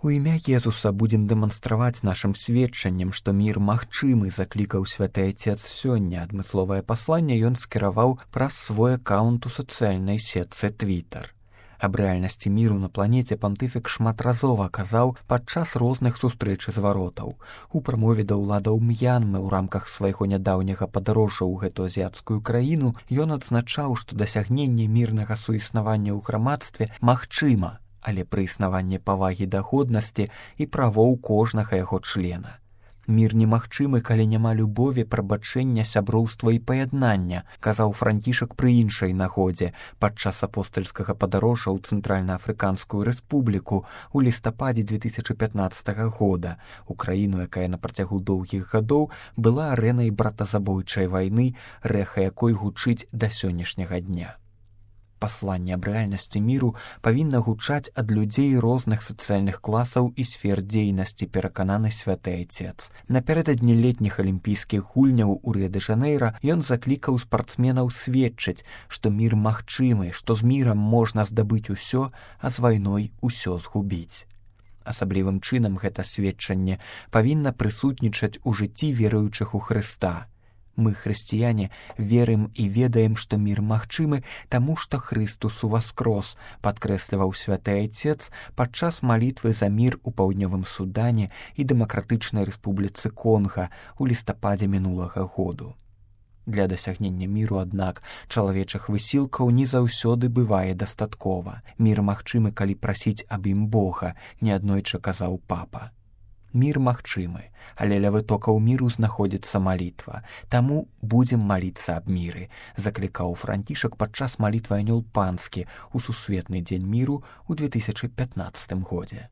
У імя Езуса будзем дэманстраваць нашым сведчаннем, што мір магчымы, заклікаў святы Айцец сёння. Адмысловае пасланне ён скіраваў праз свой аккаунт у сацыяльнай сетцы Твітар. Аб рэальнасці міру на планеце пантыфік шматразова казаў падчас розных сустрэч і зваротаў. У прамове да ўладаў М'янмы ў рамках свайго нядаўняга падарожжа ў гэту азіяцкую краіну ён адзначаў, што дасягненне мірнага суіснавання ў грамадстве магчыма, але пры існаванні павагі да годнасці і правоў кожнага яго члена. Мір немагчымы, калі няма любові, прабачэння, сяброўства і паяднання, казаў Францішак пры іншай нагодзе падчас апостальскага падарожжа ў Цэнтральна-Афрыканскую рэспубліку ў лістападзе 2015 года, у краіну, якая на працягу доўгіх гадоў была арэнай братазабойчай вайны, рэха якой гучыць да сённяшняга дня. Пасланне аб рэальнасці міру павінна гучаць ад людзей розных сацыяльных класаў і сфер дзейнасці, перакананы святы Айцец. Напярэдадні летніх алімпійскіх гульняў у Рыа-дэ-Жанэйра ён заклікаў спартсменаў сведчыць, што мір магчымы, што з мірам можна здабыць усё, а з вайной усё згубіць. Асаблівым чынам гэта сведчанне павінна прысутнічаць у жыцці веруючых у Хрыста. Мы, хрысціяне, верым і ведаем, што мір магчымы, таму што Хрыстус уваскрос, падкрэсліваў святы Айцец падчас малітвы за мір у паўднёвым Судане і Дэмакратычнай Рэспубліцы Конга ў лістападзе мінулага году. Для дасягнення міру, аднак, чалавечых высілкаў не заўсёды бывае дастаткова. Мір магчымы, калі прасіць аб ім Бога, неаднойчы казаў папа. Мір магчымы, але ля вытокаў міру знаходзіцца малітва. Таму будзем маліцца аб міры, заклікаў Францішак падчас малітвы Анёл Панскі ў сусветны дзень міру ў 2015 годзе.